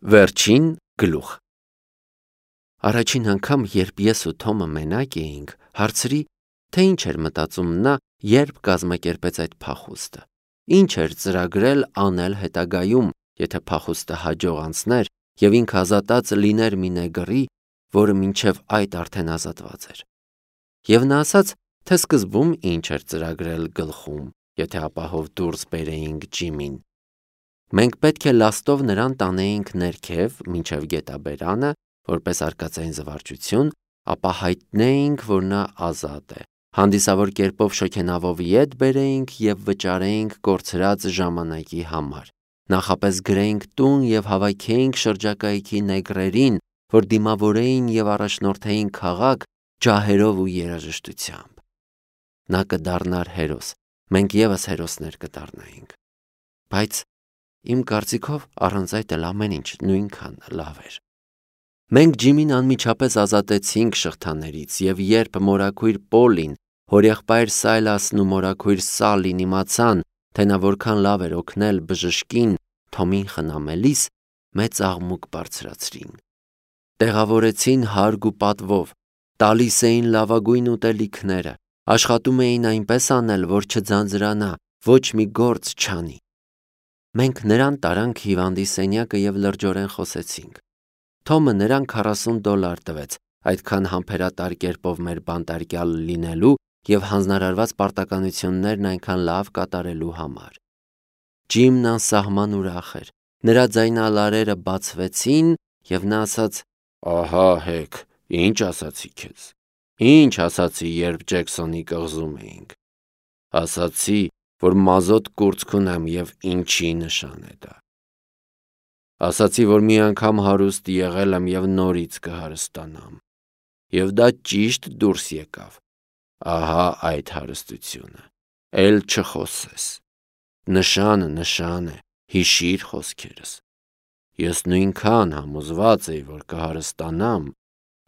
Վերջին գլուխ։ Առաջին անգամ, երբ ես ու Թոմը մենակ էինք, հարցրի, թե ինչ էր մտածում նա, երբ կազմակերպեց այդ փախուստը, ինչ էր ծրագրել անել հետագայում, եթե փախուստը հաջող անցներ և ինքը ազատած լիներ մի նեգրի, որը մինչև այդ արդեն ազատված էր։ Եվ նա ասաց, թե սկզբում ինչ էր ծրագրել գլխում, եթե ապահով դուրս բերեինք Ջիմին։ Մենք պետք է լաստով նրան տանեինք ներքև մինչև գետաբերանը, որպես արկածային զվարճություն, ապա հայտնեինք, որ նա ազատ է, հանդիսավոր կերպով շոգենավով ետ բերեինք և վճարեինք կորցրած ժամանակի համար, նախապես գրեինք տուն և հավաքեինք շրջակայքի նեգրերին, որ դիմավորեին և առաջնորդեին քաղաք ջահերով ու երաժշտությամբ։ Նա կդառնար հերոս, մենք ևս հերոսներ կդառնայինք։ Բայց իմ կարծիքով առանց այդ էլ ամեն ինչ նույնքան լավ էր։ Մենք Ջիմին անմիջապես ազատեցինք շղթաներից, և երբ մորաքույր Պոլին, հորեղբայր Սայլասն ու մորաքույր Սալին իմացան, թե նա որքան լավ էր օգնել բժշկին Թոմին խնամելիս, մեծ աղմուկ բարձրացրին։ Տեղավորեցին հարգ ու պատվով, տալիս էին լավագույն ուտելիքները, աշխատում էին այնպես անել, որ չձանձրանա, ոչ մի գործ չանի։ Մենք նրան տարանք հիվանդի սենյակը և լրջորեն խոսեցինք։ Թոմը նրան $40 տվեց, այդքան համբերատար կերպով մեր բանտարկյալ լինելու և հանձնարարված պարտականություններն այնքան լավ կատարելու համար։ Ջիմն անսահման ուրախ էր, նրա ձայնալարերը բացվեցին, և նա ասաց. «Ահա հեք, ինչ ասացի քեզ, ինչ ասացի, երբ Ջեքսոնի կղզում էինք։ Ասացի, որ մազոտ կուրծք ունեմ և ինչի նշան է դա։ Ասացի, որ մի անգամ հարուստ եղել եմ և նորից կհարստանամ։ Եվ դա ճիշտ դուրս եկավ։ Ահա այդ հարստությունը, էլ չխոսես։ Նշանը նշան է, հիշիր խոսքերս։ Ես նույնքան համոզված էի, որ կհարստանամ,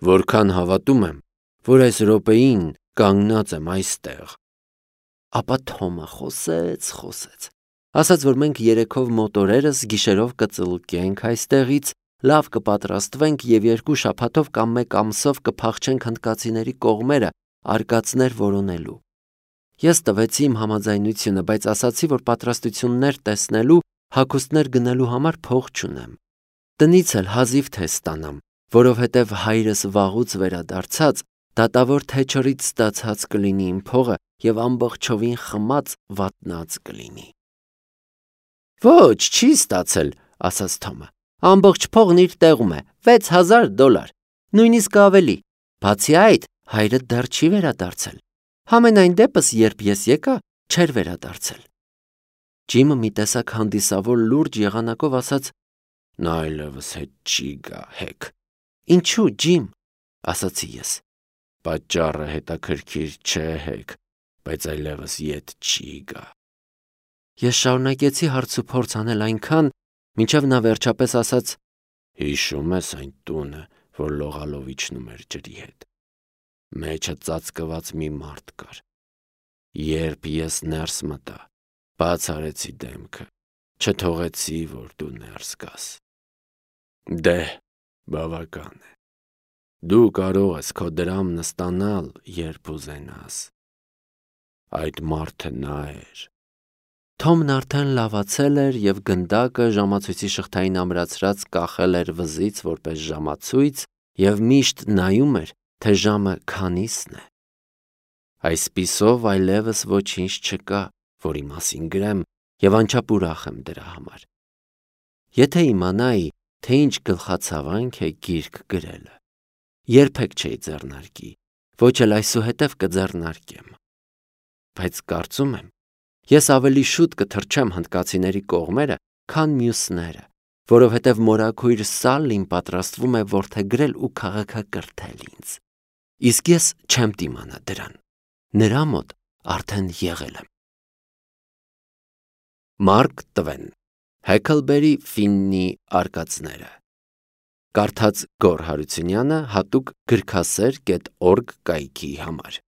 որքան հավատում եմ, որ այս րոպեին կանգնած եմ այստեղ»։ Ապա Թոմը խոսեց, ասաց, որ մենք երեքով մոտորերս գիշերով կծլկենք այստեղից, լավ կպատրաստվենք և 2 շաբաթով կամ 1 ամսով կփախչենք հնդկացիների կողմերը արկածներ որոնելու։ Ես տվեցի իմ համաձայնությունը, բայց ասացի, որ պատրաստություններ տեսնելու, հագուստներ գնելու համար փող չունեմ։ Տնից էլ հազիվ թե ստանամ, որովհետև հայրս վաղուց վերադարձած, դատավոր Թեչերից ստացած կլինի իմ փողը և ամբողջովին խմած վատնած կլինի։ Ոչ, չի ստացել, ասաց Թոմը։ Ամբողջ փողն իր տեղում է, $6000, նույնիսկ ավելի։ Բացի այդ, հայրդ դեռ չի վերադարձել։ Համենայն դեպս, երբ ես եկա, չէր վերադարձել։ Ջիմը մի տեսակ հանդիսավոր լուրջ եղանակով ասաց. նա այլևս հետ չի գա, հեք։ Ինչու, Ջիմ, ասացի ես։ Պատճառը հետաքրքիր չէ, հեք, բայց այլևս ետ չի գա։ Ես շարունակեցի հարցուփորձ անել այնքան, մինչև նա վերջապես ասաց. հիշո՞ւմ ես այն տունը, որ լողալով իջնում էր ջրի հետ։ Մեջը ծածկված մի մարդ կար։ Երբ ես ներս մտա, բաց արեցի դեմքը, չթողեցի, որ դու ներս գաս։ Դե, բավական է։ Դու կարող ես քո դրամն ստանալ, երբ ուզենաս։ Այդ մարդը նա էր։ Թոմն արդեն լավացել էր և գնդակը ժամացույցի շղթային ամրացրած կախել էր վզից որպես ժամացույց և միշտ նայում էր, թե ժամը քանիսն է։ Այսպիսով այլևս ոչինչ չկա, որի մասին գրեմ, և անչափ ուրախ եմ դրա համար։ Եթե իմանայի, թե ինչ գլխացավանք է գիրք գրելը, երբեք չէի ձեռնարկի, ոչ էլ այսուհետև կձեռնարկեմ։ Բայց կարծում եմ, ես ավելի շուտ կթռչեմ հնդկացիների կողմերը, քան մյուսները, որովհետև մորաքույր Սալլին պատրաստվում է որդեգրել ու քաղաքակրթել ինձ։ Իսկ ես չեմ դիմանա դրան։ Նրա մոտ արդեն եղել եմ։ Մարկ Տվեն, Հեքլբերի Ֆիննի արկածները։ Կարդաց Գոռ Հարությունյանը հատուկ գրքասեր.org կայքի համար։